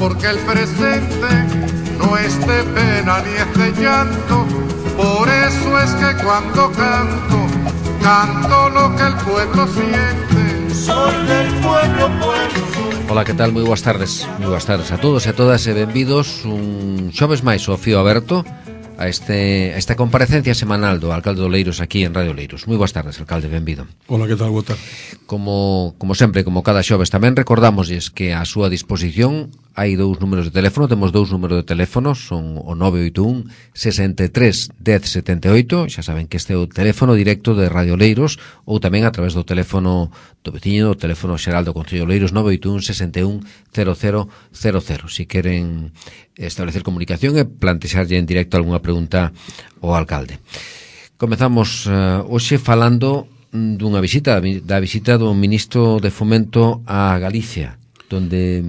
porque el presente no es de pena ni es de llanto. Por eso es que cuando canto, canto lo que el pueblo siente. Soy del pueblo, Ola, que tal? Moi boas tardes a todos e a todas e benvidos un xoves máis ao Fío Aberto a esta comparecencia semanal do alcalde de Oleiros aquí en Radio Oleiros. Moi boas tardes, alcalde, benvido. Ola, que tal? Boa tarde. Como sempre, como cada xoves, tamén recordamosles que a súa disposición hai dous números de teléfono, temos dous números de teléfono, son o 981 63 10 78, xa saben que este é o teléfono directo de Radio Oleiros, ou tamén a través do teléfono do veciño, o teléfono xeral do Concello de Oleiros, 981 61 0000. Si queren establecer comunicación e plantexarlle en directo algunha pregunta ao alcalde. Comezamos hoxe falando dunha visita, da visita do ministro de Fomento a Galicia, donde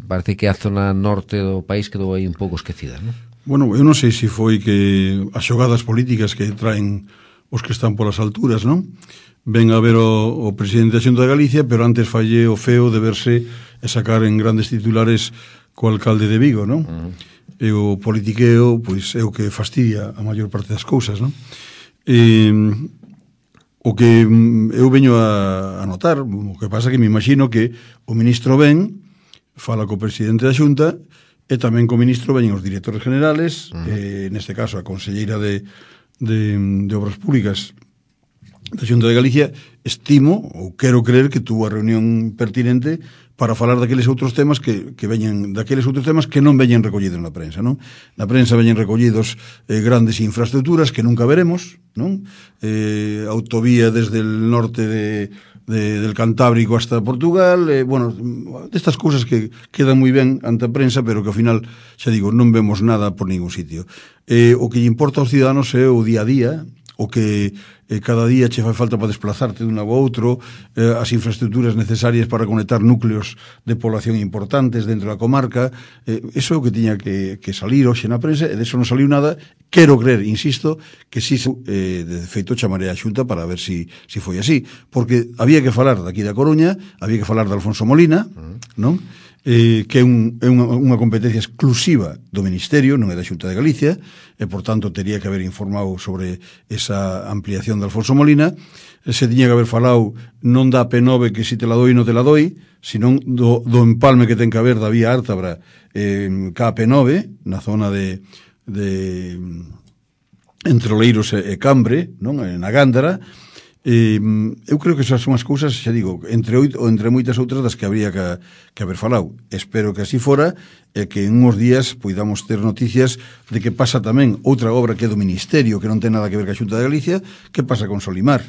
parece que a zona norte do país quedou aí un pouco esquecida, non? Bueno, eu non sei se foi que as xogadas políticas que traen os que están polas alturas, non? Ven a ver o presidente da Xunta de Galicia, pero antes falle o feo de verse e sacar en grandes titulares co alcalde de Vigo, non? E o politiqueo, pois, é o que fastidia a maior parte das cousas, non? O que eu veño a notar, o que pasa que me imagino que o ministro ven, fala co presidente da Xunta, e tamén co ministro veñen os directores generales, neste caso a conselleira de Obras Públicas da Xunta de Galicia. Estimo, ou quero creer, que tuvo a reunión pertinente para falar daqueles outros temas que veñen, daqueles outros temas que non veñen recollidos na prensa, non? Na prensa veñen recollidos grandes infraestructuras que nunca veremos, non? Autovía desde el norte del Cantábrico hasta Portugal, bueno, destas cousas que quedan moi ben ante a prensa, pero que ao final, xa digo, non vemos nada por ningún sitio. O que lle importa aos ciudadanos é o día a día, o que cada día che fai falta para desplazarte dun lado a outro, as infraestructuras necesarias para conectar núcleos de población importantes dentro da comarca. Iso é o que tiña que salir hoxe na prensa, e de eso non saliu nada. Quero creer, insisto, que si de feito chamaré a Xunta para ver si foi así, porque había que falar daqui da Coruña, había que falar de Alfonso Molina, non? Que é unha competencia exclusiva do Ministerio, non é da Xunta de Galicia, e, por tanto, teria que haber informado sobre esa ampliación de Alfonso Molina. Se tiña que haber falado non da P9 que si te la doi non te la doi, senón do empalme que ten que haber da vía Ártabra ca P9, na zona de entre Oleiros e Cambre, non? Na Gándara. Eu creo que esas son as cousas, xa digo, entre moitas outras das que habría que haber falado. Espero que así fora, e que en uns días poidamos ter noticias de que pasa tamén outra obra que é do Ministerio, que non ten nada que ver ca Xunta de Galicia, que pasa con Solimar.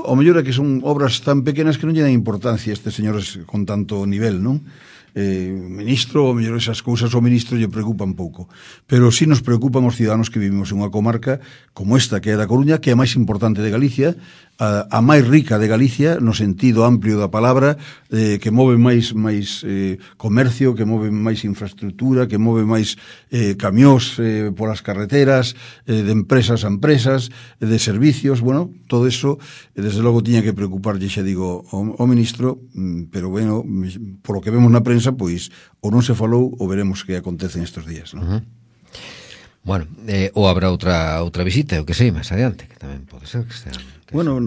O mellor é que son obras tan pequenas que non lle dan importancia a estes señores con tanto nivel, non? Ministro, o mellor esas cousas ao ministro lle preocupan pouco, pero si nos preocupan os ciudadanos que vivimos en unha comarca como esta, que é da Coruña, que é a máis importante de Galicia, a máis rica de Galicia, no sentido amplio da palabra, que move máis comercio, que move máis infraestructura, que move máis camións polas carreteras, de empresas a empresas, de servicios. Bueno, todo eso, desde logo, tiña que preocuparlle, xa digo, ao ministro, pero, bueno, por lo que vemos na prensa, pois, ou non se falou, ou veremos que acontece estes días, non? Bueno, ou habrá outra visita, o que sei, máis adiante, que tamén pode ser que estea... Bueno,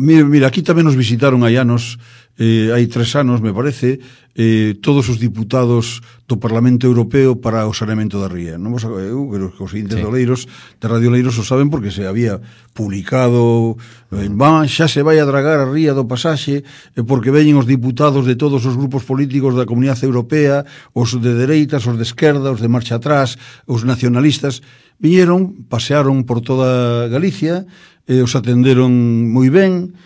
mira, aquí tamén nos visitaron hai anos, hai 3 anos, me parece, todos os diputados do Parlamento Europeo para o saneamento da ría. Non vos, eu creo que os seguintes de Oleiros, de Radio Oleiros, o saben porque se había publicado, xa se vai a dragar a ría do pasaxe, porque veñen os diputados de todos os grupos políticos da Comunidade Europea, os de dereitas, os de esquerda, os de marcha atrás, os nacionalistas, viñeron, pasearon por toda Galicia, os atenderon moi ben,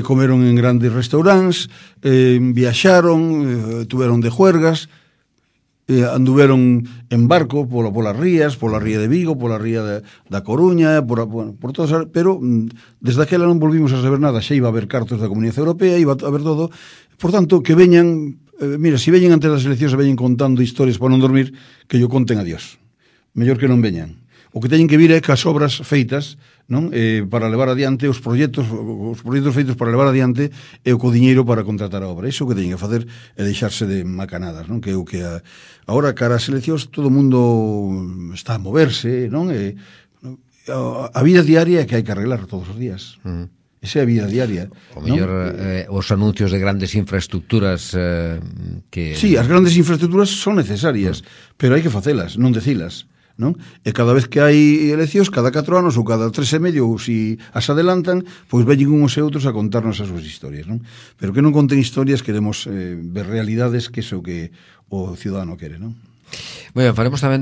comeron en grandes restaurantes, viaxaron, tuveron de juergas, anduveron en barco polas rías, pola ría de Vigo, pola ría da Coruña, por todas, pero desde aquela non volvimos a saber nada. Xa iba a haber cartos da Comunidade Europea, iba a haber todo. Por tanto, que veñan, mira, se veñen antes das eleccións e veñen contando historias para non dormir, que yo conten a Dios. Mellor que non veñan. o que teñen que vir é cas obras feitas, non? Para levar adiante os proxectos feitos para levar adiante e o co diñeiro para contratar a obra. Iso que teñen que facer é deixarse de macanadas, non? Que é o que agora cara ás eleccións todo o mundo está a moverse, non? A vida diaria é que hai que arreglar todos os días. Esa é a vida diaria. O mellor os anuncios de grandes infraestructuras que... Sí, as grandes infraestructuras son necesarias, pero hai que facelas, non decilas, non? E cada vez que hai eleccións, cada 4 anos ou cada 3 e medio, ou se as adelantan, pois veñen uns e outros a contarnos as súas historias, non? Pero que non conten historias, queremos ver realidades, que é o que o ciudadano quere, non? Bueno, faremos tamén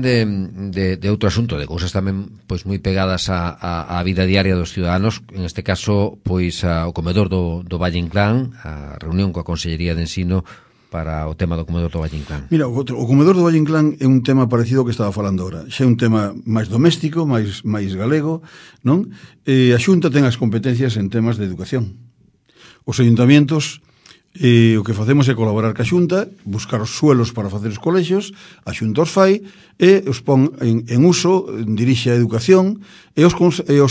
de outro asunto, de cousas tamén pois moi pegadas á vida diaria dos ciudadanos, en este caso pois o comedor do Valle Inclán, a reunión coa Consellería de Ensino para o tema do comedor do Valle Inclán. Mira, o comedor do Valle Inclán é un tema parecido ao que estaba falando agora. Xa é un tema máis doméstico, máis galego, non? A Xunta ten as competencias en temas de educación. Os ayuntamientos o que facemos é colaborar ca Xunta, buscar os suelos para facer os colexios, a Xunta os fai e os pon en uso, dirixe a educación e os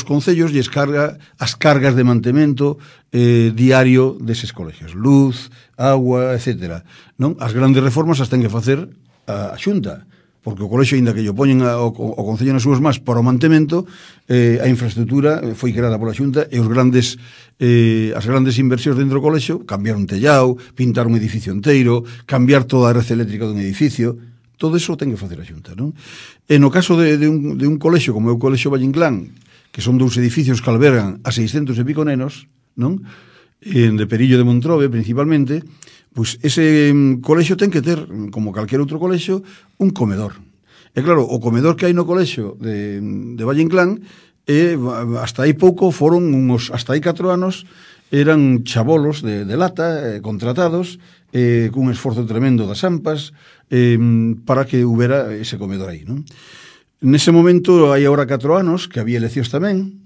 concellos lles carga as cargas de mantemento diario deses colexios, luz, agua, etcétera, non? As grandes reformas as ten que facer a Xunta, porque o colexio, ainda que lle poñen o Concello nas súas más para o mantemento, a infraestructura foi creada pola Xunta e as grandes inversións dentro do colexio, cambiar un tellao, pintar un edificio inteiro, cambiar toda a rede eléctrica dun edificio, todo eso ten que facer a Xunta, non? E no caso de un colexio como é o Colexio Valle Inclán, que son 2 edificios que albergan a 600 e pico nenos, non? De Perillo de Montrobe, principalmente, pois ese colexio ten que ter, como calquer outro colexio, un comedor. E claro, o comedor que hai no colexio de Valle Inclán, hasta aí pouco foron hasta aí 4 anos, eran chabolos de lata, contratados, cun esforzo tremendo das AMPAs, para que houbera ese comedor aí, non? Nese momento, hai agora 4 anos, que había eleccións tamén,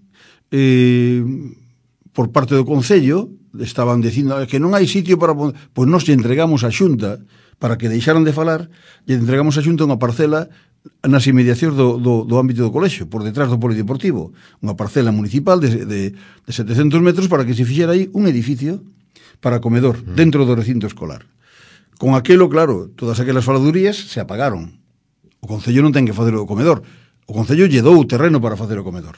por parte do Concello, estaban dicindo que non hai sitio para... Pois nós lle entregamos a Xunta, para que deixaran de falar, lle entregamos a Xunta unha parcela nas inmediacións do ámbito do colexio, por detrás do polideportivo, unha parcela municipal de 700 metros para que se fixera aí un edificio para comedor, dentro do recinto escolar. Con aquelo, claro, todas aquelas faladurías se apagaron. O Concello non ten que facer o comedor. O Concello lle dou o terreno para facer o comedor.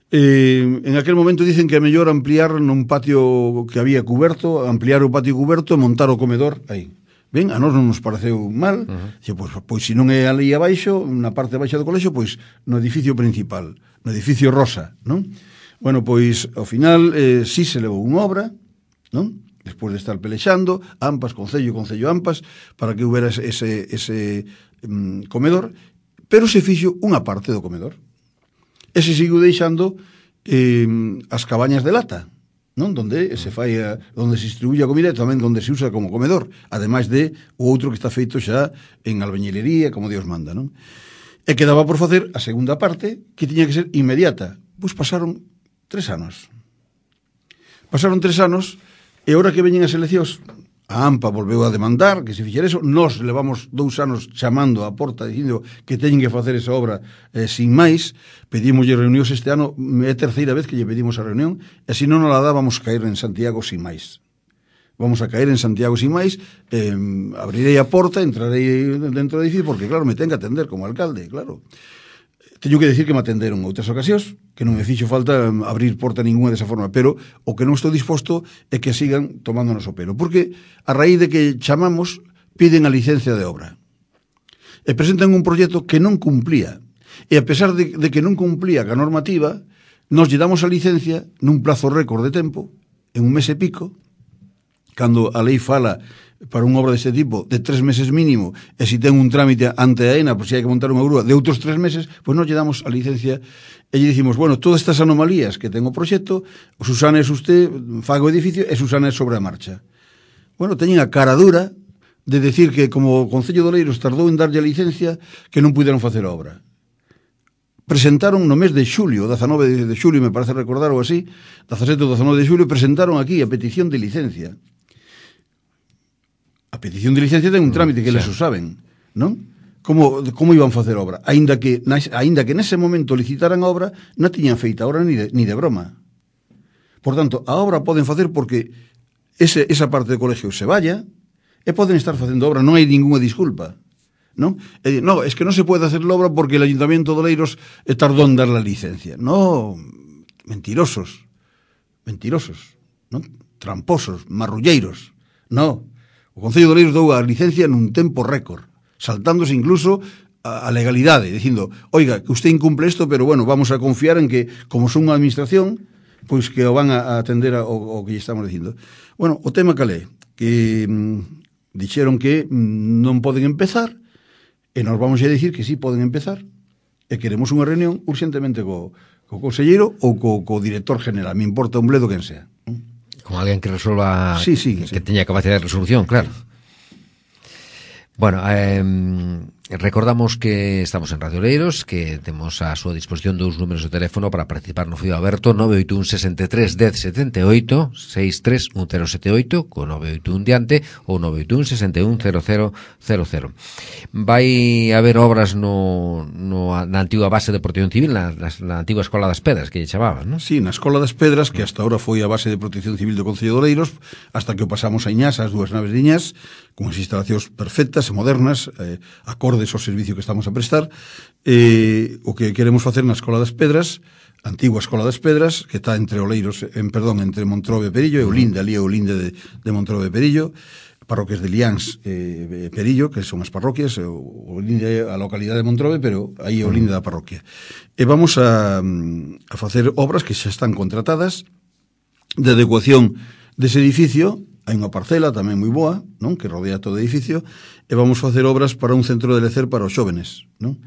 En aquel momento dicen que é mellor ampliar nun patio que había cuberto, ampliar o patio cuberto e montar o comedor aí. Ben, a nós non nos pareceu mal, pois se non é ali abaixo, na parte baixa do colexio, pois no edificio principal, no edificio Rosa, non? Bueno, pois ao final sí se levou unha obra, non? Despois de estar pelexando, AMPAS, Concello, AMPAS, para que houbera ese comedor, pero se fixo unha parte do comedor. E se sigo deixando as cabañas de lata, non? Donde se fai onde se distribuye a comida e tamén onde se usa como comedor, ademais de o outro que está feito xa en albañilería, como Dios manda, non? E quedaba por facer a segunda parte, que tiña que ser inmediata. Pois pasaron 3 anos. Pasaron 3 anos e ahora que veñen as eleccións, a AMPA volveu a demandar que se fixera eso. Nós levamos 2 anos chamando á porta dicindo que teñen que facer esa obra sin máis. Pedimoslle reunións este ano, é a terceira vez que lle pedimos a reunión, e se non la dá vamos caer en Santiago sin máis. Vamos a caer en Santiago sin máis, abrirei a porta, entrarei dentro do edificio, porque claro, me ten que atender como alcalde, claro. Teño que decir que me atenderon outras ocasións, que non me fixo falta abrir porta ninguna desa forma, pero o que non estou disposto é que sigan tomándonos o pelo, porque a raíz de que chamamos, piden a licencia de obra. E presentan un proxecto que non cumplía. E a pesar de que non cumplía a normativa, nos lle damos a licencia nun plazo récord de tempo, en 1 mes e pico, cando a lei fala para unha obra deste tipo de 3 meses mínimo, e se ten un trámite ante a ENA, por se hai que montar unha grúa de outros 3 meses, pois nos lle damos a licencia e lle dicimos, bueno, todas estas anomalías que ten o proxecto, Susana é usted, faga o edificio e Susana é sobre a marcha. Bueno, teñen a cara dura de decir que como o Concello de Oleiros tardou en darlle a licencia, que non puderon facer a obra. Presentaron no mes de xulio, 19 de xulio, me parece recordar ou así, 17 ou 19 de xulio, presentaron aquí a petición de licencia. A petición de licencia ten un trámite que eles o saben, non? como iban facer obra, aínda que nese momento licitaran a obra, non tiñan feita a obra ni de broma. Por tanto, a obra poden facer porque esa parte do colegio se vaya e poden estar facendo obra, non hai ninguna disculpa, non? No, es que non se pode hacer a obra porque el Ayuntamiento de Oleiros tardou en dar la licencia. No, mentirosos, non? Tramposos, marrulleiros. No, o Concello de Oleiros dou a licencia nun tempo récord, saltándose incluso a legalidade, dicindo, oiga, que usted incumple isto, pero bueno, vamos a confiar en que, como son unha administración, pois que o van a atender ao que lle estamos dicindo. Bueno, o tema calé, que dixeron que non poden empezar, e nos vamos a dicir que sí poden empezar, e queremos unha reunión urgentemente co conselleiro ou co director general, me importa un bledo quen sea. Con alguén que resolva, sí. teña capacidade de resolución, claro. Bueno, recordamos que estamos en Radio Oleiros, que temos a súa disposición dous números de teléfono para participar no Fío Aberto, 981 63 10 78, 63 1078, co 981 diante, ou 981 61 0000. Vai haber obras na antiga base de protección civil, na antiga Escola das Pedras, que lle chamaban, non? Sí, na Escola das Pedras, que hasta ahora foi a base de protección civil do Concello de Oleiros, hasta que o pasamos a Iñás, as dúas naves de Iñás, con as instalacións perfectas e modernas, acordes ao servicio que estamos a prestar. O que queremos facer na Escola das Pedras, antigua Escola das Pedras, que está entre Oleiros, entre Montrobe e Perillo, e Olinda, ali é Olinda de Montrobe e Perillo, parroquias de Liáns e Perillo, que son as parroquias, Olinda é a localidade de Montrobe, pero aí é Olinda da parroquia. E vamos a facer obras que xa están contratadas de adecuación dese edificio. Hai unha parcela tamén moi boa, non, que rodea todo o edificio, e vamos facer obras para un centro de lecer para os xóvenes, non?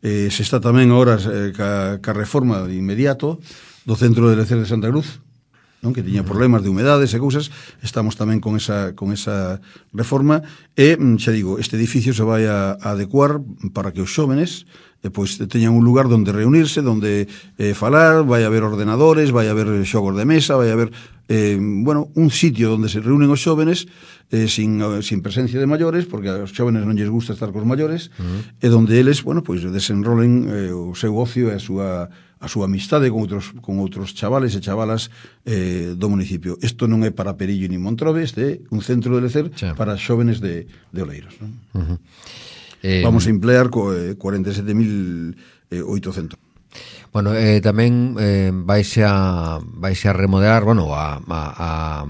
Se está tamén ahora ca reforma de inmediato do centro de lecer de Santa Cruz, non, que tiña problemas de humedades e cousas. Estamos tamén con esa reforma, e xa digo, este edificio se vai a adecuar para que os xóvenes pois teñan un lugar onde reunirse, onde falar, vai haber ordenadores, vai haber xogos de mesa, vai haber un sitio onde se reúnen os xóvenes sin presencia de maiores, porque aos xóvenes non lles gusta estar cos maiores, e onde eles, pois desenrolen o seu ocio e a súa amistade con outros chavales e chavalas do municipio. Isto non é para Perillo ni Montrobe, este é un centro de lecer para xóvenes de Oleiros, non? Vamos a emplear 47.800. Bueno, tamén vaise a remodelar, a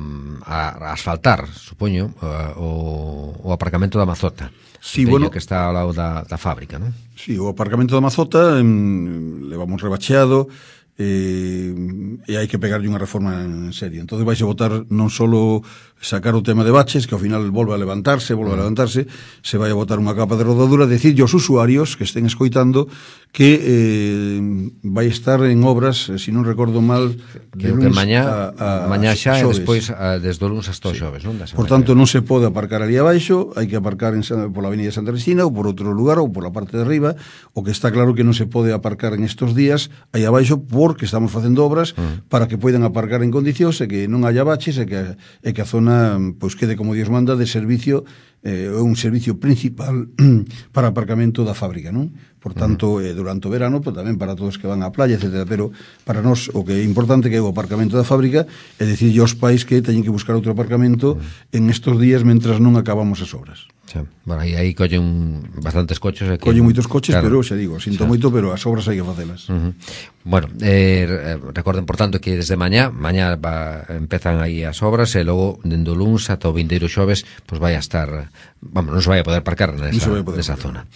asfaltar, supoño, o aparcamento da Mazota. Sí, que está ao lado da fábrica, non? Sí, o aparcamento da Mazota levamos rebacheado, e hai que pegarlle unha reforma en serio. Entón vais a votar non só sacar o tema de baches, que ao final volve a levantarse, se vai a botar unha capa de rodadura, decirlle aos usuarios que estén escoitando que vai estar en obras, se non recordo mal, de lunes mañá xa, e despois desde o lunes hasta o xoves, non? Por tanto, non se pode aparcar ali abaixo, hai que aparcar pola avenida Santa Cristina ou por outro lugar, ou pola parte de arriba. O que está claro que non se pode aparcar en estos días aí abaixo, porque estamos facendo obras para que poidan aparcar en condicións e que non haya baches e que a zona pois quede como Dios manda de servicio, un servicio principal para aparcamento da fábrica, non? Por tanto, durante o verano, pues, tamén para todos que van á playa, etc. Pero para nós o que é importante que é o aparcamento da fábrica é dicirlle aos pais que teñen que buscar outro aparcamento en estos días mentras non acabamos as obras. Xa. Bueno, aí collen bastantes coches. Collen moitos coches, claro. Pero xa digo, sinto moito, pero as obras hai que facelas. Bueno, recorden, por tanto, que desde mañá empezan aí as obras, e logo, dende o luns ata o vindeiro xoves, pues vai a estar, non se vai a poder aparcar nesa zona.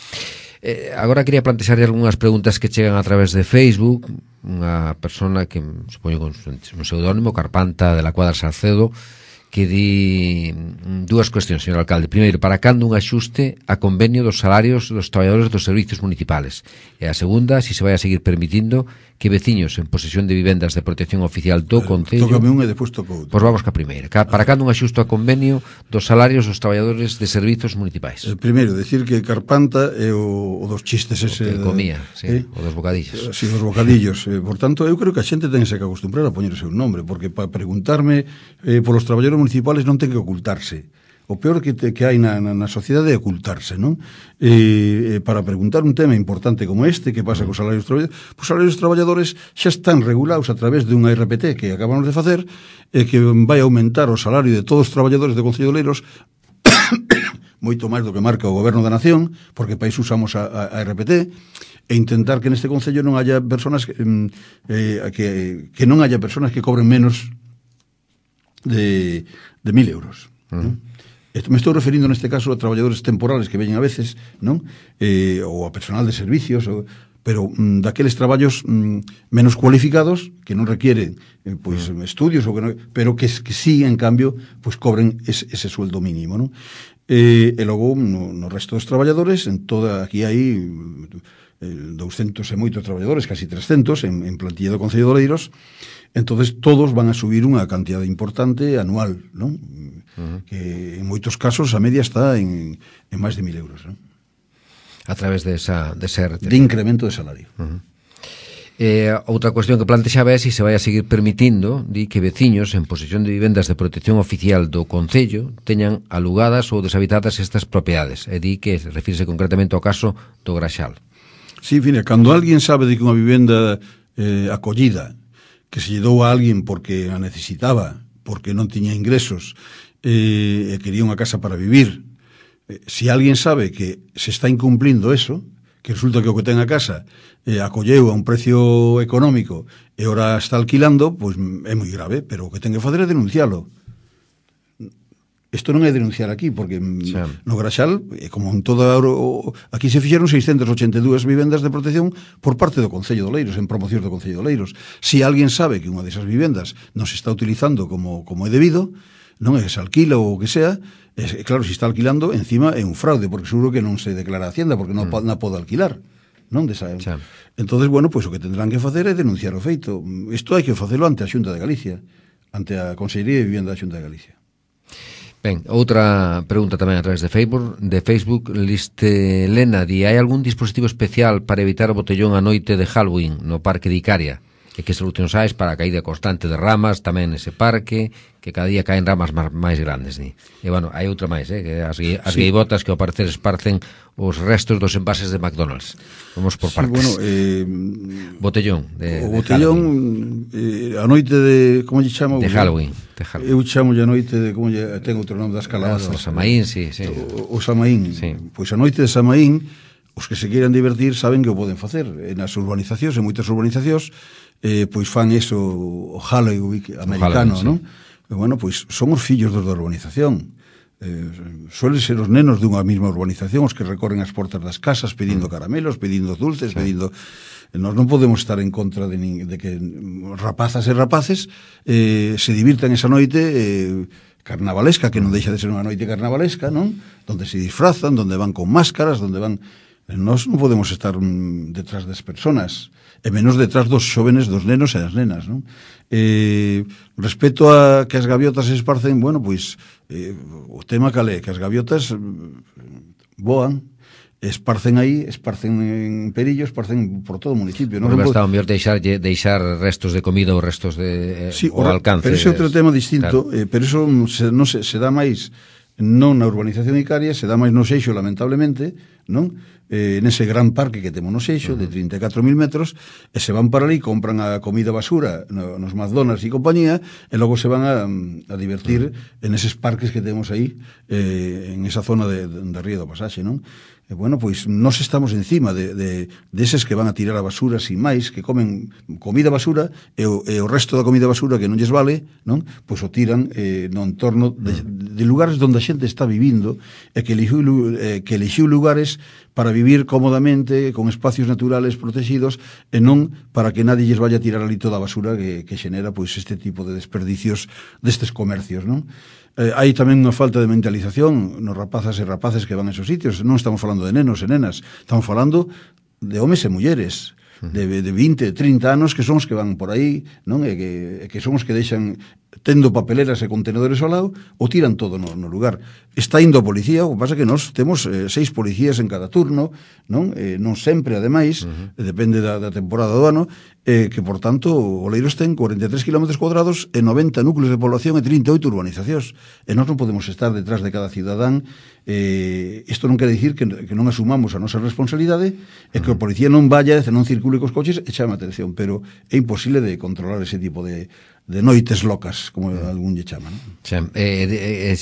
Agora quería plantexarlle algunhas preguntas que chegan a través de Facebook. Unha persona que, supoño con un pseudónimo, Carpanta de la Cuadra Salcedo, que di dúas cuestións, señor alcalde. Primeiro, para cando un axuste a convenio dos salarios dos traballadores dos servicios municipales? E a segunda, se vai a seguir permitindo que veciños en posesión de vivendas de protección oficial do Concello... Tócame un e despois toco outro. Pois vamos ca primeira. Para cando un axuste a convenio dos salarios dos traballadores de servicios municipais? Primeiro, decir que Carpanta é o dos chistes ese... O que comía, sí, o dos bocadillos. Sí, os bocadillos. Por tanto, eu creo que a xente tense que acostumbrar a poñer o seu nombre, porque para preguntarme polos traballadores municipales non ten que ocultarse. o peor que hai na sociedade é ocultarse, non? Para preguntar un tema importante como este, que pasa cos salarios traballadores, os salarios traballadores xa están regulados a través dunha RPT que acabamos de facer, que vai aumentar o salario de todos os traballadores do Concello de Oleiros moito máis do que marca o Goberno da Nación, porque para iso usamos a RPT, e intentar que neste Concello non haya personas que non haya personas que cobren menos de 1.000 euros. Me estou referindo neste caso a traballadores temporales que veñen a veces, non? Ou a personal de servicios, pero daqueles traballos menos cualificados que non requieren estudios, pero que sí, en cambio, cobren ese sueldo mínimo, non? E logo no resto dos traballadores, aquí hai 200 e moitos traballadores, casi 300 en plantilla do Concello de Oleiros. Entonces todos van a subir unha cantidade importante anual, non? Que en moitos casos a media está en máis de 1.000 euros, non? A través de incremento de salario. Outra cuestión que plantexaba é se vai a seguir permitindo que veciños en posesión de vivendas de protección oficial do Concello teñan alugadas ou deshabitadas estas propiedades, e que refírese concretamente ao caso do Graxal. Sí, fina, cando alguén sabe de que unha vivenda acollida que se lle dou a alguén porque a necesitaba, porque non tiña ingresos e quería unha casa para vivir, se alguén sabe que se está incumplindo eso, que resulta que o que ten a casa acolleu a un precio económico e ora está alquilando, pois é moi grave, pero o que ten que fazer é denuncialo. Isto non é denunciar aquí, porque no Graxal, como en toda aquí se fixeron 682 vivendas de protección por parte do Concello de Oleiros, en promocións do Concello de Oleiros. Se alguén sabe que unha desas vivendas non se está utilizando como é debido, non é que se alquila ou o que sea, claro, se está alquilando, encima é un fraude, porque seguro que non se declara a Hacienda, porque non pode alquilar, non? Entonces, bueno, pois o que tendrán que facer é denunciar o feito. Isto hai que facelo ante a Xunta de Galicia, ante a Consellería de Vivienda da Xunta de Galicia. Ben, outra pregunta tamén a través de Facebook, Liste Lena, hai algún dispositivo especial para evitar o botellón a noite de Halloween no Parque de Icaria? E que solucións hai para a caída constante de ramas tamén nese parque, que cada día caen ramas máis grandes, E, bueno, hai outra máis, que as gaivotas que ao parecer esparcen os restos dos envases de McDonald's. Vamos por partes. Botellón. O botellón, a noite de, como lle chamo? De Halloween. Eu chamo a noite de, como lle ten outro nome das calabazas. O Samaín, sí. O Samaín. Pois a noite de Samaín, os que se queiran divertir saben que o poden facer. Nas urbanizacións, en moitas urbanizacións, pois fan eso, o Halloween americano, non? Bueno, pois son os fillos dos da urbanización. Suelen ser os nenos dunha mesma urbanización os que recorren as portas das casas pedindo caramelos, pedindo dulces, pedindo... Nós non podemos estar en contra de que rapazas e rapaces se divirtan esa noite carnavalesca, que non deixa de ser unha noite carnavalesca, non? Donde se disfrazan, donde van con máscaras, donde van... Nós non podemos estar detrás das personas, e menos detrás dos xóvenes, dos nenos e das nenas, non? Respecto a que as gaviotas se esparcen, bueno, pois o tema calé, que as gaviotas voan, esparcen en Perillo, esparcen por todo o municipio. Non está o mellor deixar restos de comida ou restos de ao alcance. Pero ese é outro tema distinto, claro. Pero eso se dá máis non na urbanización Icaria, se dá máis no Seixo, lamentablemente, non? Nese gran parque que temos no Seixo, de 34.000 metros, e se van para ali, compran a comida basura nos McDonald's e compañía, e logo se van a divertir en eses parques que temos aí, en esa zona de Río do Pasaxe, non? Bueno, pois nós estamos encima deses que van a tirar a basura sin máis, que comen comida basura e o resto da comida basura que non lles vale, non? Pois o tiran no entorno de lugares onde a xente está vivindo e que elixiu lugares para vivir cómodamente, con espacios naturales protegidos, e non para que nadie lles vaya a tirar ali toda a basura que xenera pois este tipo de desperdicios destes comercios, non? Hai tamén unha falta de mentalización nos rapazas e rapaces que van a esos sitios. Non estamos falando de nenos e nenas, estamos falando de homes e mulleres de 20, 30 anos que son os que van por aí, non? E que son os que deixan tendo papeleras e contenedores ao lado, o tiran todo no lugar. Está indo a policía, o que pasa que nós temos 6 policías en cada turno, non sempre, ademais, depende da temporada do ano, que, por tanto, Oleiros ten 43 km cuadrados e 90 núcleos de población e 38 urbanizacións. E nós non podemos estar detrás de cada cidadán. Isto non quere dicir que non asumamos a nosa responsabilidade e que o policía non vaya, non circule cos coches e chame a atención, pero é imposible de controlar ese tipo de noites locas, como algún lle chama, non?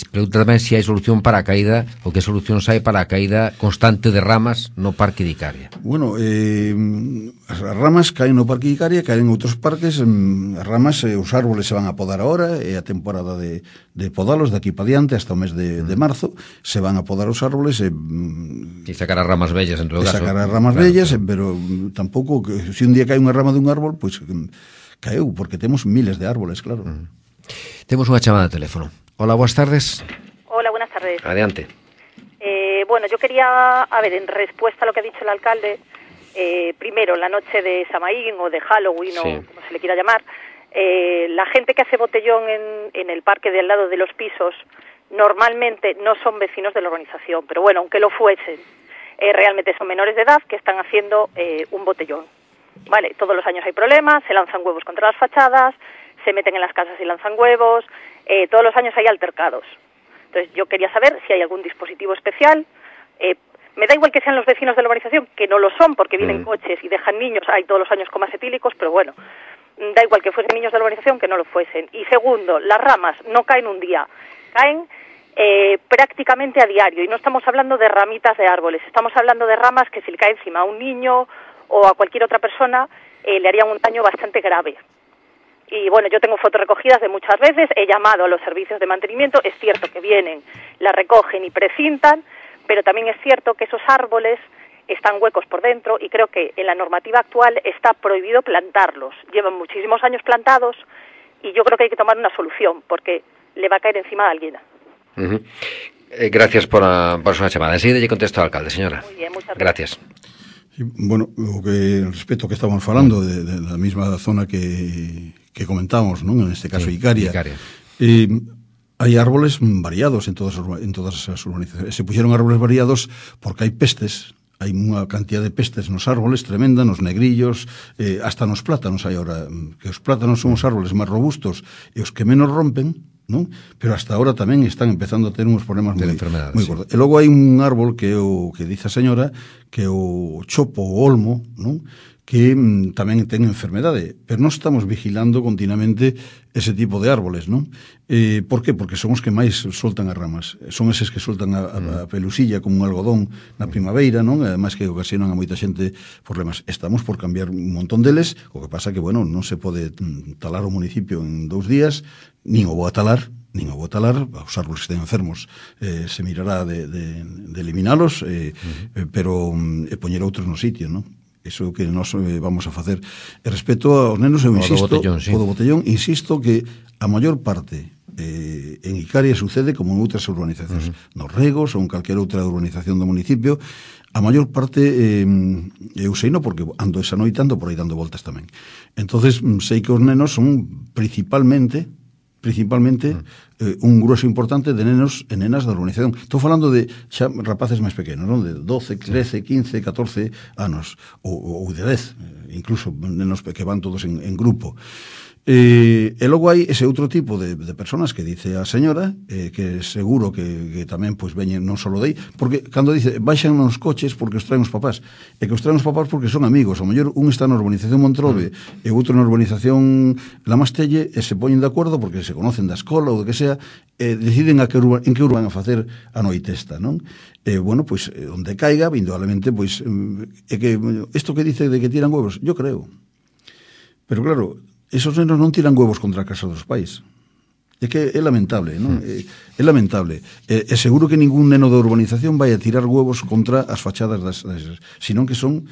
Pregunta tamén se hai solución para a caída, ou que solucións hai para a caída constante de ramas no Parque de Icaria. Bueno, as ramas caen no Parque de Icaria, caen en outros parques, as ramas, os árboles se van a podar ahora, é a temporada de podalos de aquí para diante, hasta o mes de marzo, se van a podar os árboles e sacar as ramas vellas, en todo caso. Sacar as ramas vellas, pero tampouco, se un día cae unha rama dun árbol, pois caeu, porque temos miles de árboles, claro. Temos unha chamada de teléfono. Hola, buenas tardes. Hola, buenas tardes. Adelante. Bueno, yo quería, en respuesta a lo que ha dicho el alcalde, primero, la noche de Samaín o de Halloween, o como se le quiera llamar, la gente que hace botellón en el parque de al lado de los pisos, normalmente no son vecinos de la urbanización, pero bueno, aunque lo fuesen, realmente son menores de edad que están haciendo un botellón. Vale, todos los años hay problemas, se lanzan huevos contra las fachadas, se meten en las casas y lanzan huevos, todos los años hay altercados. Entonces yo quería saber si hay algún dispositivo especial. Me da igual que sean los vecinos de la urbanización, que no lo son porque vienen coches y dejan niños, hay todos los años comas etílicos, pero bueno, da igual que fuesen niños de la urbanización que no lo fuesen. Y segundo, las ramas no caen un día, caen prácticamente a diario, y no estamos hablando de ramitas de árboles, estamos hablando de ramas que si le cae encima a un niño o a cualquier otra persona le harían un daño bastante grave. Y bueno, yo tengo fotos recogidas de muchas veces, he llamado a los servicios de mantenimiento, es cierto que vienen, la recogen y precintan, pero también es cierto que esos árboles están huecos por dentro y creo que en la normativa actual está prohibido plantarlos. Llevan muchísimos años plantados y yo creo que hay que tomar una solución porque le va a caer encima a alguien. Gracias por su chamada. Enseguida lle contesto ao alcalde, señora. Muy bien, muchas gracias. Sí, bueno, respecto ao que estamos falando de la mesma zona que comentamos, non? En este caso Icaria. Hai árboles variados en todas as urbanizacións. Se puxeron árboles variados porque hai pestes, hai unha cantidad de pestes nos árboles tremenda, nos negrillos, hasta nos plátanos hai ahora, que os plátanos son os árboles máis robustos e os que menos rompen, non? Pero hasta ahora tamén están empezando a ter uns problemas moi gordos. E logo hai un árbol que o que dice a señora, que é o chopo, o olmo, non? Que tamén ten enfermedade, pero non estamos vigilando continuamente ese tipo de árboles, non? Por qué? Porque son os que máis soltan as ramas, son eses que soltan a pelusilla como un algodón na primavera, non? Ademais que ocasionan a moita xente problemas. Estamos por cambiar un montón deles, o que pasa que, bueno, non se pode talar o municipio en 2 días, nin o vou a talar, os árboles que estén enfermos se mirará de eliminalos, pero poñer outros no sitio, non? Iso é o que nós vamos a facer. E respecto aos nenos, eu insisto, o do botellón, insisto que a maior parte en Icaria sucede como en outras urbanizacións, nos Regos ou en calquera outra urbanización do municipio. A maior parte eu sei non porque ando esa noite, ando por aí dando voltas tamén. Entonces sei que os nenos son principalmente un grueso importante de nenos e nenas da urbanización. Estou falando de xa rapaces máis pequenos, non? De 12, 13, 15, 14 anos, ou de 10, incluso nenos que van todos en grupo. E logo hai ese outro tipo de personas que dice a señora, que seguro que tamén pois veñen non só dei, porque cando dice baixan nos coches porque os traen os papás, e que os traen os papás porque son amigos, ao mellor un está na urbanización Montrove e outro na urbanización La Mastelle, e se poñen de acordo porque se conocen da escola ou do que sea, e deciden en que urban a facer a noite esta, non? Bueno, pois onde caiga, indudablemente, pois é que isto que dice de que tiran huevos, yo creo, pero claro, esos nenos non tiran huevos contra a casa dos pais. É que é lamentable, non? É lamentable. É seguro que ningún neno da urbanización vai a tirar huevos contra as fachadas senón que son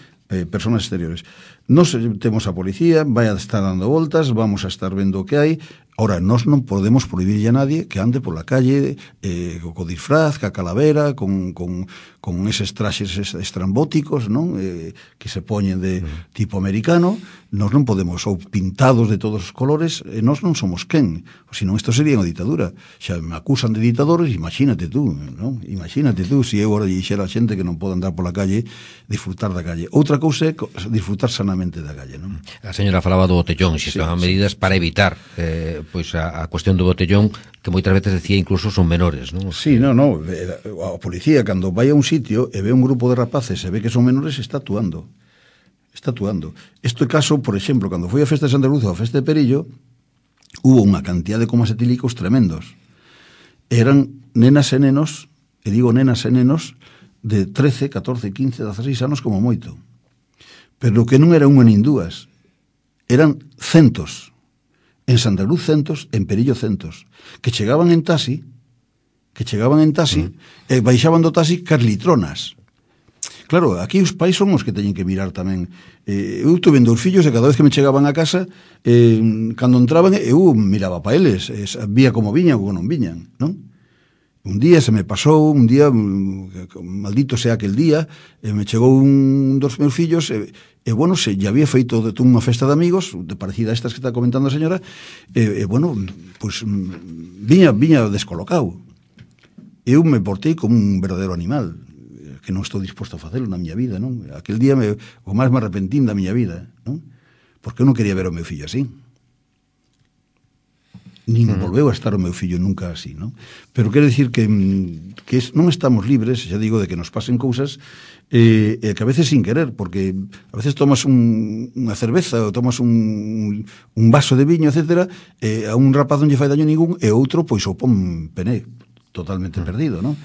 personas exteriores. Nos temos a policía, vai a estar dando voltas, vamos a estar vendo o que hai. Ora, nós non podemos prohibirlle a nadie que ande pola calle co disfraz, ca calavera, con eses traxes estrambóticos, non? Que se poñen de tipo americano. Nós non podemos, ou pintados de todos os colores, nós non somos quen. Senón isto sería unha ditadura. Xa me acusan de ditadores, imagínate tú, non? Imagínate tú, se eu ora dixera a xente que non pode andar pola calle, disfrutar da calle. Outra cousa é disfrutar sanamente da calle, non? A señora falaba do botellón, se estaban medidas para evitar pois a cuestión do botellón, que moitas veces decía incluso son menores, non? Sí, non. A policía, cando vai a un sitio e ve un grupo de rapaces e ve que son menores, está actuando. Este caso, por exemplo, cando foi a festa de Santa Cruz ou a festa de Perillo, hubo unha cantidad de comas etílicos tremendos. Eran nenas e nenos, e digo nenas e nenos, de 13, 14, 15, 16 anos como moito. Pero que non era unha nin dúas, eran centos. En Santa Cruz centos, en Perillo centos, que chegaban en taxi, e baixaban do taxi cas litronas. Claro, aquí os pais son os que teñen que mirar tamén. Eu tuve dous fillos e cada vez que me chegaban a casa, cando entraban, eu miraba pa eles, vía como viñan ou non viñan, non? Un día se me pasou, maldito sea aquel día, me chegou un dos meus fillos, bueno, se lle había feito unha festa de amigos, de parecida a estas que está comentando a señora, bueno, pues viña descolocado. Eu me portei como un verdadeiro animal, que non estou disposto a facelo na miña vida, non? Aquel día o máis me arrepentín da miña vida, non? Porque eu non quería ver o meu fillo así. Nin volveu a estar o meu fillo nunca así, non? Pero quero dicir que non estamos libres, xa digo, de que nos pasen cousas que a veces sin querer, porque a veces tomas unha cerveza ou tomas un vaso de viño, etcétera, a un rapaz non lle fai daño ningún e outro, pois o pon pené, totalmente perdido, non?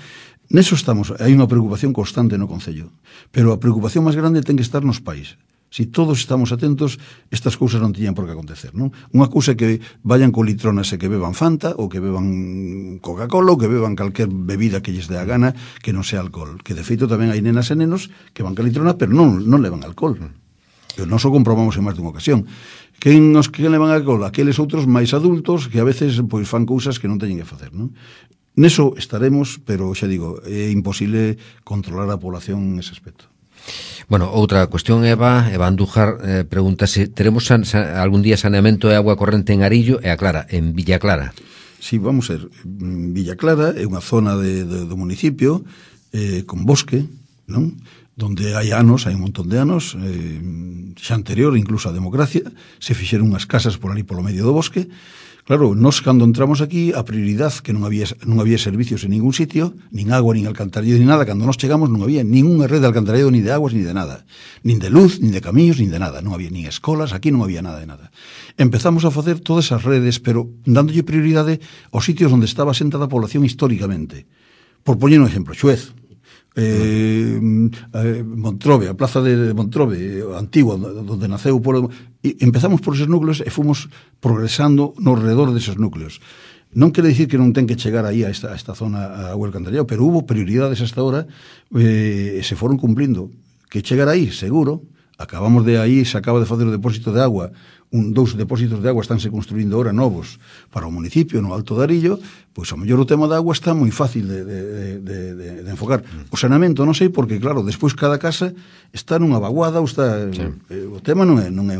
Neso estamos, hai unha preocupación constante no Concello, pero a preocupación máis grande ten que estar nos pais. Si todos estamos atentos, estas cousas non tiñan por que acontecer, non? Unha cousa é que vayan con litronas e que beban Fanta, ou que beban Coca-Cola, ou que beban calquer bebida que lles dé a gana, que non sea alcohol. Que de feito tamén hai nenas e nenos que van con litrona, pero non levan alcohol. E nós o comprobamos en máis dunha ocasión. Quen levan alcohol? Aqueles outros máis adultos que a veces pois fan cousas que non teñen que facer, non? Neso estaremos, pero xa digo, é imposible controlar a población nese aspecto. Bueno, outra cuestión, Eva Andújar pregunta se teremos algún día saneamento e agua corrente en Arillo e a Clara, en Villa Clara. Sí, vamos a ver, Villa Clara é unha zona do municipio con bosque, non? Donde hai un montón de anos, xa anterior incluso a democracia, se fixeron unhas casas por ali polo medio do bosque. Claro, nós cando entramos aquí, a prioridade que non había servicios en ningún sitio, nin agua, nin alcantarillado, nin nada. Cando nós chegamos non había ninguna red de alcantarillado, ni de aguas, ni de nada. Nin de luz, nin de camiños, nin de nada. Non había nin escolas, aquí non había nada de nada. Empezamos a facer todas esas redes, pero dándolle prioridade aos sitios onde estaba asentada a población históricamente. Por poñer un exemplo, Xuez, Montrobe, a plaza de Montrobe antigua, donde naceu o pueblo, e empezamos por esos núcleos e fomos progresando no redor deses núcleos. Non quere dicir que non ten que chegar aí a esta zona a agua alcantarillado, pero hubo prioridades hasta ahora e se foron cumplindo. Que chegar aí, seguro. Acabamos de aí, se acaba de facer o depósito de agua, dous depósitos de agua estánse construindo ahora novos para o municipio, no Alto de Arillo, pois ao mellor o tema da agua está moi fácil de enfocar. O saneamento non sei porque, claro, despois cada casa está nunha vaguada ou está... Sí. O tema non é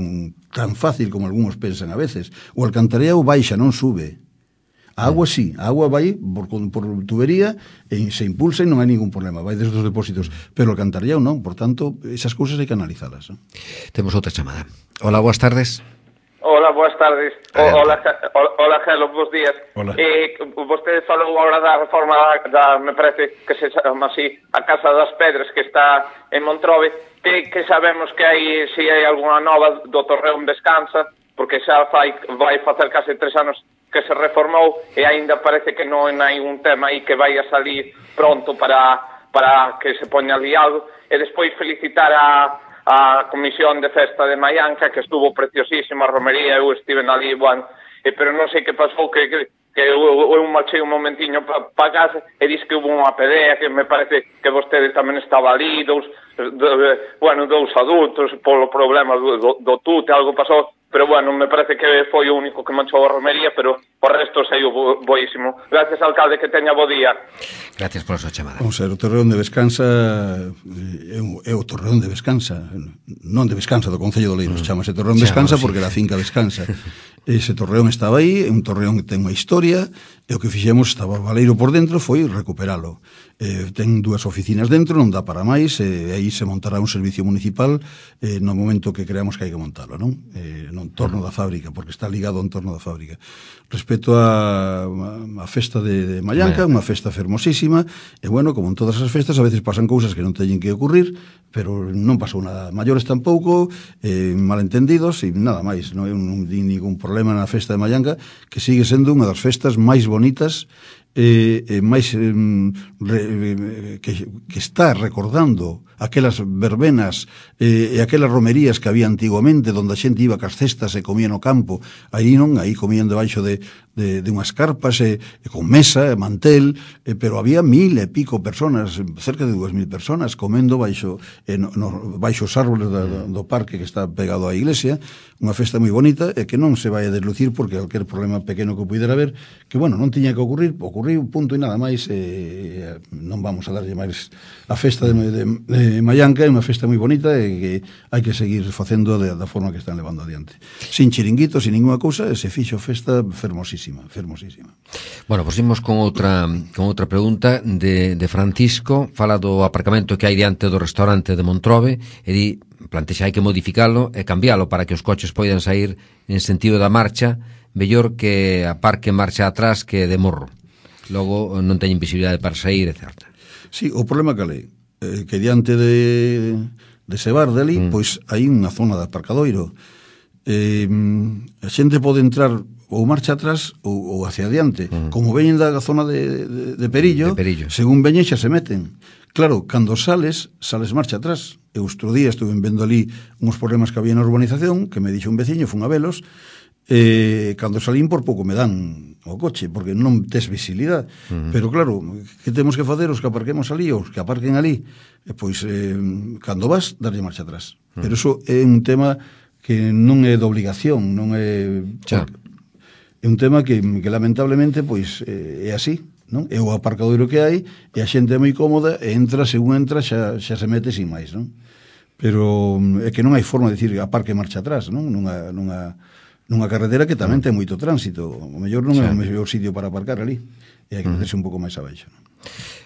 tan fácil como algúns pensan a veces. O alcantarillado baixa, non sube. A agua sí, a agua vai por tubería e se impulsa e non hai ningún problema, vai desde os depósitos, pero o alcantarillado non, por tanto, esas cousas hai que analizalas, non? Temos outra chamada. Hola, boas tardes. Hola, boas tardes. Hola, Gelo, bons días. Vostede falou agora da reforma me parece que se chama así, a Casa das Pedras, que está en Montrobe, que sabemos que hai, se hai algunha nova do Torreón Descansa, porque xa vai facer case 3 anos que se reformou e aínda parece que non hai un tema aí que vai a salir pronto para que se poña ali algo. E despois felicitar a Comisión de Festa de Maianca, que estuvo preciosísima a romería, eu estive ali, bueno, pero non sei que pasou, que que eu marchei un momentiño para casa e dix que hubo unha pelea, que me parece que vostede tamén estaba ali, dous adultos polo problema do tute, algo pasou, pero bueno, me parece que foi o único que manchou a romería, pero o resto saiu boísimo. Gracias, alcalde, que teña bo día. Gracias por a súa chamada. Vamos a ver, o Torreón de Vescansa é o Torreón de Vescansa, non de Vescansa, do Concello de Oleiros, chamase Torreón de Vescansa porque era a finca Vescansa. Ese torreón estaba aí, é un torreón que ten unha historia, e o que fixemos, estaba baleiro por dentro, foi recuperalo. Ten 2 oficinas dentro, non dá para máis, e aí se montará un servicio municipal no momento que creamos que hai que montalo, non? No entorno da fábrica, porque está ligado ao entorno da fábrica. Respecto a festa de Mallanca, unha festa fermosísima, e bueno, como en todas as festas, a veces pasan cousas que non teñen que ocurrir, pero non pasou nada. Maiores tampouco, malentendidos, e nada máis, non di ningún problema na festa de Mallanca, que sigue sendo unha das festas máis bonitas máis que está recordando aquelas verbenas e aquelas romerías que había antiguamente, onde a xente iba cas cestas e comía no campo, aí non, aí comían debaixo de unhas carpas e con mesa e mantel, pero había 1000 e pico personas, cerca de 2000 personas comendo baixo os árboles do parque que está pegado á iglesia, unha festa moi bonita e que non se vai a deslucir porque calquer problema pequeno que pudera haber, que bueno, non tiña que ocurrir, ocurriu, punto e nada máis, non vamos a darlle máis. A festa de Mallanca é unha festa moi bonita e que hai que seguir facendo da forma que están levando adiante. Sin chiringuitos, sin ninguna cousa, se fixo festa fermosísima, fermosísima. Bueno, pues imos con outra pregunta de Francisco, fala do aparcamento que hai diante do restaurante de Montrobe e di, plantexa hai que modificalo e cambialo para que os coches poidan sair en sentido da marcha, mellor que aparque marcha atrás que de morro. Logo non teñen visibilidade para sair, etc. Sí, o problema que é que diante de Sebar dali, pois hai unha zona de aparcadoiro. A xente pode entrar ou marcha atrás ou hacia adiante. Como veñen da zona de Perillo, según veñen xa se meten. Claro, cando sales marcha atrás. Eu outro día estuve vendo ali uns problemas que había na urbanización, que me dixo un veciño, fun a velos, cando salín por pouco me dan o coche, porque non tes visibilidade. Pero claro, que temos que facer os que aparquemos ali, os que aparquen ali? Pois, cando vas, darlle marcha atrás. Pero iso é un tema que non é de obligación, non é... É un tema que lamentablemente, pois, é así, non? É o aparcadoiro que hai, e a xente é moi cómoda, e entra, según entra, xa se mete sin máis, non? Pero é que non hai forma de dicir aparque marcha atrás, non? Nunha carretera que tamén ten moito tránsito, o mellor non é o mellor sitio para aparcar ali, e hai que meterse un pouco máis abaixo, non?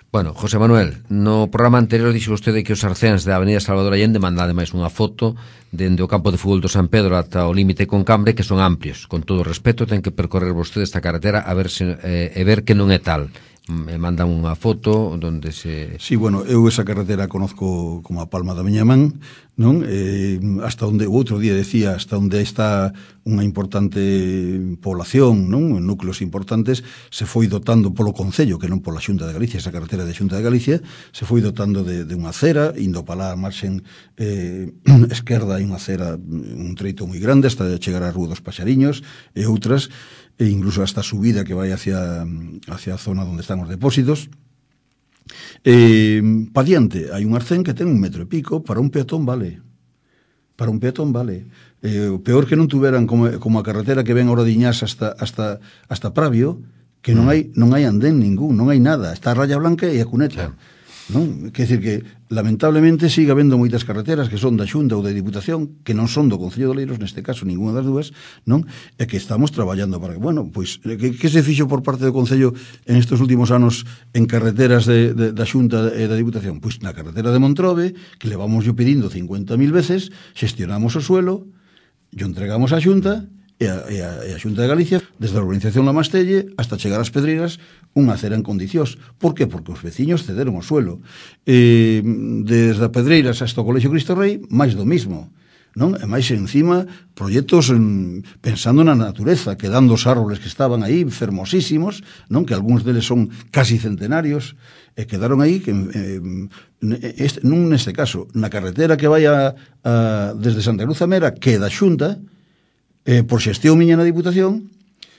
Bueno, José Manuel, no programa anterior dixo vostede que os arcéns da Avenida Salvador Allende mandan ademais unha foto dende o campo de fútbol do San Pedro ata o límite con Cambre, que son amplios. Con todo o respeto, ten que percorrer vostede esta carretera a ver e ver que non é tal. Me mandan unha foto onde se... Sí, bueno, eu esa carretera conozco como a palma da miña man, non? Hasta onde, o outro día decía, hasta onde está unha importante población, non? Núcleos importantes, se foi dotando polo Concello, que non pola Xunta de Galicia, esa carretera de Xunta de Galicia, se foi dotando de unha acera, indo para lá a marxen esquerda, hai unha acera, un treito moi grande, hasta chegar á Rúa dos Paxariños, e outras, e incluso hasta a subida que vai hacia a zona onde están os depósitos. Pa diante hai un arcén que ten 1,5 metros, para un peatón vale. Para un peatón vale. O peor que non tuveran como a carretera que ven a Oradiñás hasta Pravio, que non hai andén ningún, non hai nada, está a raya blanca e a cuneta. Non? Quer dizer que, lamentablemente, siga habendo moitas carreteras que son da Xunta ou da Diputación, que non son do Concello de Oleiros, neste caso, ninguna das dúas, non? E que estamos traballando para que, bueno, pois, que se fixo por parte do Concello en estes últimos anos en carreteras da Xunta e da Diputación? Pois na carretera de Montrobe, que levamos yo pedindo 50.000 veces, xestionamos o suelo, yo entregamos a Xunta, e a Xunta de Galicia, desde a urbanización La Mastelle hasta chegar ás Pedreiras, unha acera en condicións. Por que? Porque os veciños cederon o suelo. Desde a Pedreiras hasta o Colexio Cristo Rei, máis do mismo, non? E máis encima, proxectos pensando na natureza, quedando os árboles que estaban aí, fermosísimos, non? Que algúns deles son casi centenarios, e quedaron aí, non neste caso, na carretera que vai desde Santa Cruz a Mera, que é da Xunta, por xestión miña na Diputación,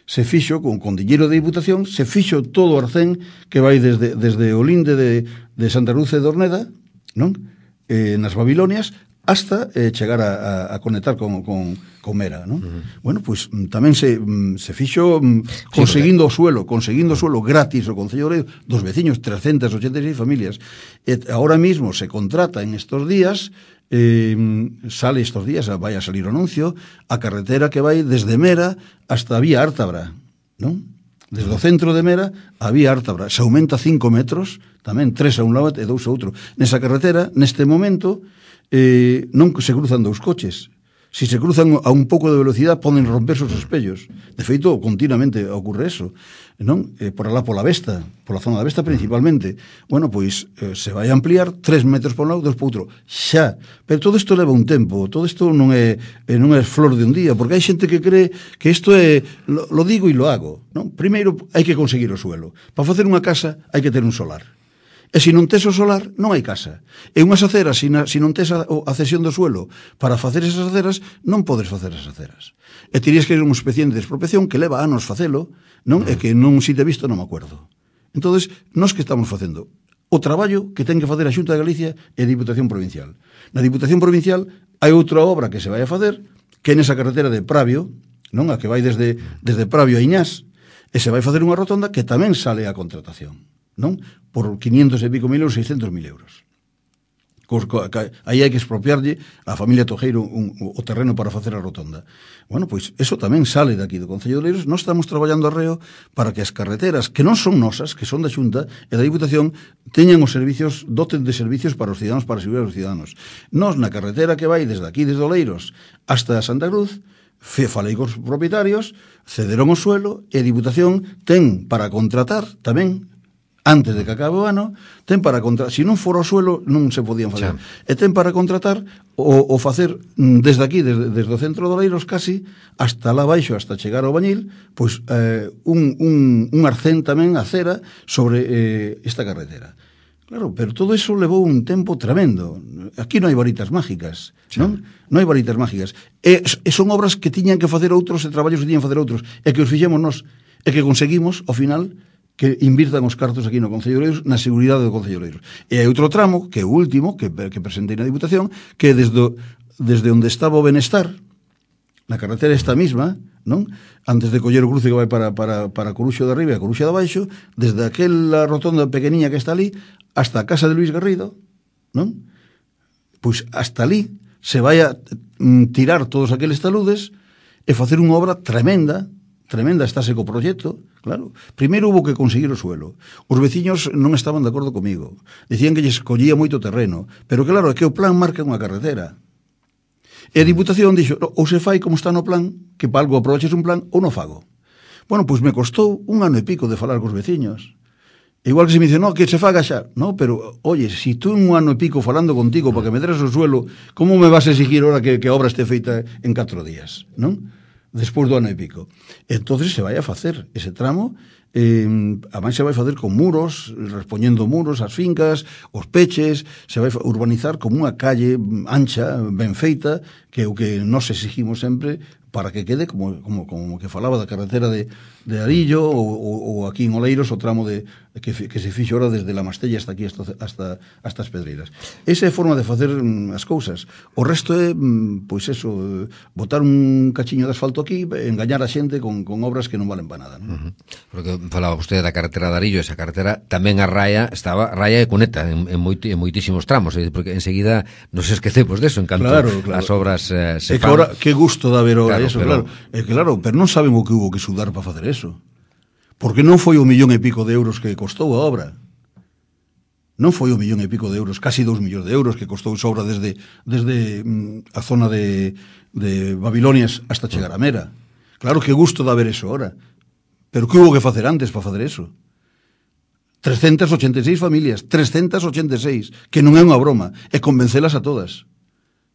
se fixo, con diñeiro de Diputación, se fixo todo o arcén que vai desde o linde de Santa Cruz de Dorneda, non? Nas Babilonias, hasta chegar a conectar con Mera, non? Bueno, pois tamén se fixo conseguindo o suelo gratis o Concello de Oleiros dos veciños, 386 familias. Ahora mismo se contrata en estos días, sale estos días, vai a salir o anuncio, a carretera que vai desde Mera hasta a vía Ártabra, non? Desde o centro de Mera a vía Ártabra se aumenta 5 metros, tamén 3 a un lado e 2 a outro. Nesa carretera, neste momento, non se cruzan dous coches. Si se cruzan a un pouco de velocidade poden romperse os espellos. De feito, continuamente ocorre eso, non? Por alá pola Vesta, pola zona da Vesta principalmente. Bueno, pois se vai a ampliar 3 metros por un lado, 2 por outro. Xa, pero todo isto leva un tempo, todo isto non é flor de un día, porque hai xente que cree que isto é lo digo e lo hago, non? Primeiro hai que conseguir o suelo. Para facer unha casa hai que ter un solar. E se non tes o solar, non hai casa. E unhas aceras, se non tes a cesión do suelo para facer esas aceras, non podes facer esas aceras. E terías que ir un expediente de expropiación que leva anos facelo, non? E que non si te visto non me acuerdo. Entonces, nós que estamos facendo o traballo que ten que facer a Xunta de Galicia e a Diputación Provincial. Na Diputación Provincial hai outra obra que se vai a facer, que é nesa carretera de Pravio, non? A que vai desde Pravio a Iñás, e se vai facer unha rotonda que tamén sale a contratación, non? Por 500 e pico mil euros, 600.000 euros. Aí hai que expropiarlle a familia Tojeiro o terreno para facer a rotonda. Bueno, pois eso tamén sale daqui do Concello de Oleiros. Nós estamos traballando arreo para que as carreteras, que non son nosas, que son da Xunta e da Diputación, teñan os servicios, doten de servicios para os ciudadanos, para asegurar os ciudadanos. Nós, na carretera que vai desde aquí, desde Oleiros, hasta Santa Cruz, falei cos propietarios, cederon o suelo e a Diputación ten para contratar tamén, antes de que acabe o ano, ten para contratar, se non fora o suelo non se podían facer, e ten para contratar o facer desde aquí, desde o centro de Oleiros casi, hasta lá baixo, hasta chegar ao Bañil, pois un arcén tamén, a cera, sobre esta carretera. Claro, pero todo eso levou un tempo tremendo. Aquí non hai varitas mágicas, non? Non hai varitas mágicas. E son obras que tiñan que facer outros e traballos que tiñan que facer outros, e que os fixemos nós, e que conseguimos, ao final, que invirtan os cartos aquí no Concello de Oleiros, na seguridade do Concello de Oleiros. E hai outro tramo, que é o último, que presentei na Diputación, que é desde onde estaba o Benestar, na carretera esta misma, non? Antes de coller o cruce que vai para Coruxo de arriba e Coruxo de abaixo, desde aquela rotonda pequeniña que está ali, hasta a casa de Luis Garrido, non? Pois hasta ali se vai a tirar todos aqueles taludes e facer unha obra tremenda, estáse co proxecto, claro. Primeiro hubo que conseguir o suelo. Os veciños non estaban de acordo comigo. Dicían que lles collía moito terreno. Pero claro, é que o plan marca unha carretera. E a Diputación dixo, ou se fai como está no plan, que para algo aproveches un plan, ou non fago. Bueno, pois me costou 1 ano e pico de falar cos veciños. Igual que se me dice, no, que se faga xa. No, pero, oye, si tú 1 ano e pico falando contigo para que me deres o suelo, como me vas a exigir ahora que a obra este feita en 4 días, non? Despois do ano e pico. Entonces se vai a facer ese tramo, ademais se vai facer con muros, respoñendo muros ás fincas, os peches, se vai urbanizar como unha calle ancha, ben feita, que é o que nos exigimos sempre para que quede como que falaba da carretera de Arillo ou aquí en Oleiros o tramo que se fixo ahora desde la Mastella hasta aquí hasta as Pedreiras. Esa é a forma de facer as cousas. O resto é, pois eso, botar un cachiño de asfalto aquí, engañar a xente con obras que non valen para nada, non? Porque falaba usted da carretera de Arillo, esa carretera tamén a raia e cuneta en moitísimos tramos, porque enseguida nos esquecemos deso en canto as obras se fan. Ahora, que gusto da ver eso, claro. Claro, pero non saben o que hubo que sudar para facer eso. Porque non foi 1,5 millón de euros que costou a obra. Non foi 1,5 millón de euros, casi 2 millóns de euros que costou esa obra desde a zona de Babilonias hasta chegar a Mera. Claro, que gusto da ver eso ahora. Pero que hubo que facer antes para facer eso? 386 familias, 386, que non é unha broma, e convencelas a todas.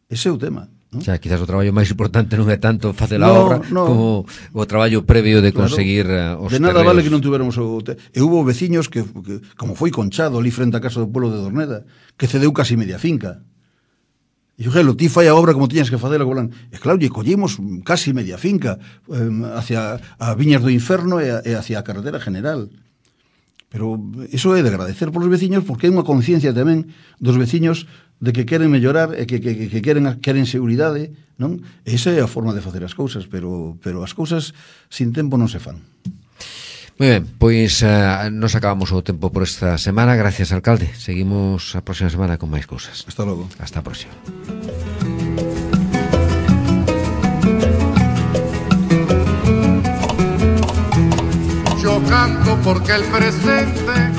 Ese é o tema. O sea, quizás o traballo máis importante non é tanto facer a obra como o traballo previo de conseguir os terrenos. De nada vale que non tuveramos e hubo veciños que como foi Conchado ali frente á casa do pueblo de Dorneda, que cedeu casi media finca. E Gelo, ti fai a obra como tiñas que facela, e claro, lle collemos casi media finca hacia a Viñas do Inferno e hacia a carretera general. Pero iso é de agradecer polos veciños, porque é unha conciencia tamén dos veciños de que queren mellorar e que queren seguridade, non? E esa é a forma de facer as cousas, pero as cousas sin tempo non se fan. Moi ben, pois nos acabamos o tempo por esta semana. Gracias, alcalde. Seguimos a próxima semana con máis cousas. Hasta logo. Hasta a próxima. Yo canto porque el presente